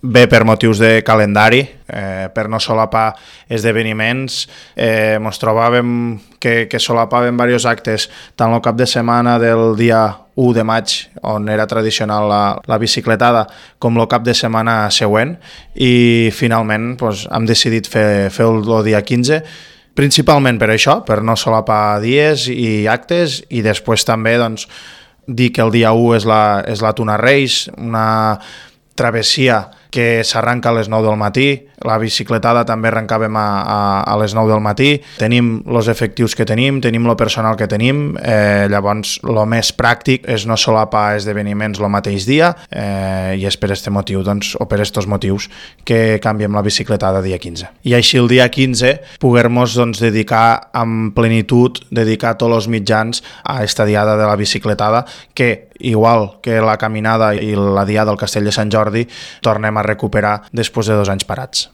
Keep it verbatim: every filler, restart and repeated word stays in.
Bé per motius de calendari, eh, per no solapar esdeveniments. Eh, ens trobàvem que, que solapàvem diversos actes, tant el cap de setmana del dia u de maig, on era tradicional la, la bicicletada, com el cap de setmana següent, i finalment doncs, hem decidit fer, fer el, el dia quinze, principalment per això, per no solapar dies i actes, i després també doncs, dir que el dia u és la, és la Tuna Reis, una travessia que s'arranca a les nou del matí, la bicicletada també arrencàvem a, a, a les nou del matí, tenim els efectius que tenim, tenim el personal que tenim, eh, llavors el més pràctic és no solapar esdeveniments el mateix dia, eh, i és per aquest motiu, doncs, o per aquests motius, que canviem la bicicletada dia quinze. I així el dia quinze poder-nos doncs, dedicar amb plenitud, dedicar tots els mitjans a aquesta diada de la bicicletada, que igual que la caminada i la diada al Castell de Sant Jordi, tornem a recuperar després de dos anys parats.